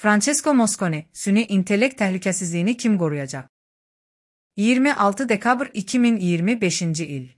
Francesco Mosconi, süni intellekt təhlükəsizliyini kim qoruyacaq? 26 dekabr 2025 il.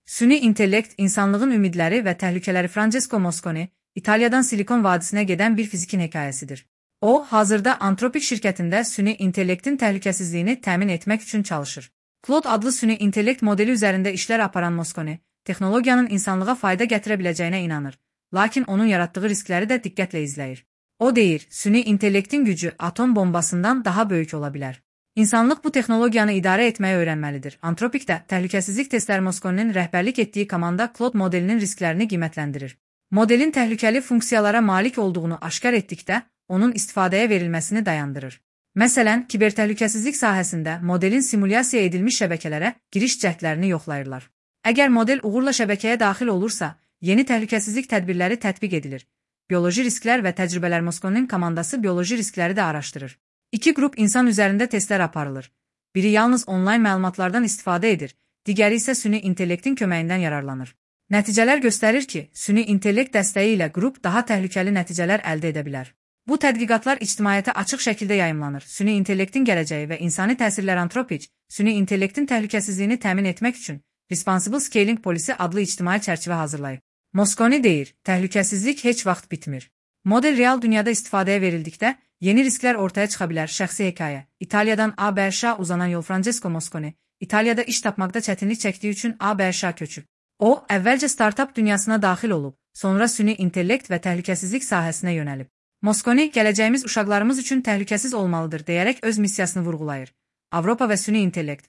Süni intellekt, insanlığın ümidləri və təhlükələri. Francesco Mosconi, İtaliyadan Silikon vadisinə gedən bir fizikin hekayəsidir. O, hazırda Anthropic şirkətində süni intellektin təhlükəsizliyini təmin etmək üçün çalışır. Claude adlı süni intellekt modeli üzərində işlər aparan Mosconi, texnologiyanın insanlığa fayda gətirə biləcəyinə inanır, lakin onun yaratdığı riskləri də diqqətlə izləyir. O deyir, süni intellektin gücü atom bombasından daha böyük ola bilər. İnsanlıq bu texnologiyanı idarə etməyi öyrənməlidir. Anthropicdə təhlükəsizlik testləri. Mosconinin rəhbərlik etdiyi komanda Claude modelinin risklərini qiymətləndirir. Modelin təhlükəli funksiyalara malik olduğunu aşkar etdikdə, onun istifadəyə verilməsini dayandırır. Məsələn, kibertəhlükəsizlik sahəsində modelin simulyasiya edilmiş şəbəkələrə giriş cəhdlərini yoxlayırlar. Əgər model uğurla şəbəkəyə daxil olursa, yeni təhlükəsizlik tədbirləri tətbiq edilir. Bioloji risklər və təcrübələr. Mosconinin komandası bioloji riskləri də araşdırır. İki qrup insan üzərində testlər aparılır. Biri yalnız onlayn məlumatlardan istifadə edir, digəri isə süni intellektin köməyindən yararlanır. Nəticələr göstərir ki, süni intellekt dəstəyi ilə qrup daha təhlükəli nəticələr əldə edə bilər. Bu tədqiqatlar ictimaiyyətə açıq şəkildə yayımlanır. Süni intellektin gələcəyi və insani təsirlər. Anthropic, süni intellektin təhlükəsizliyini təmin etmək üçün Responsible Scaling Policy adlı ictimai çərçivə hazırlayıb. Mosconi deyir, təhlükəsizlik heç vaxt bitmir. Model real dünyada istifadəyə verildikdə, yeni risklər ortaya çıxa bilər. Şəxsi hekayə. İtaliyadan ABŞ uzanan yol. Francesco Mosconi, İtaliyada iş tapmaqda çətinlik çəkdiyi üçün ABŞ köçüb. O, əvvəlcə startap dünyasına daxil olub, sonra süni intellekt və təhlükəsizlik sahəsinə yönəlib. Mosconi, gələcəyimiz uşaqlarımız üçün təhlükəsiz olmalıdır deyərək öz missiyasını vurğulayır. Avropa və süni intellekt.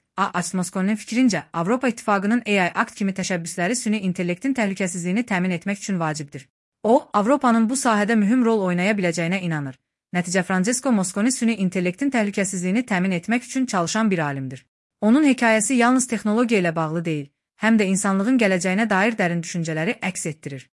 Mosconinin fikrincə, Avropa İttifaqının AI Act kimi təşəbbüsləri süni intellektin təhlükəsizliyini təmin etmək üçün vacibdir. O, Avropanın bu sahədə mühüm rol oynaya biləcəyinə inanır. Nəticə. Francesco Mosconi süni intellektin təhlükəsizliyini təmin etmək üçün çalışan bir alimdir. Onun hekayəsi yalnız texnologiya ilə bağlı deyil, həm də insanlığın gələcəyinə dair dərin düşüncələri əks etdirir.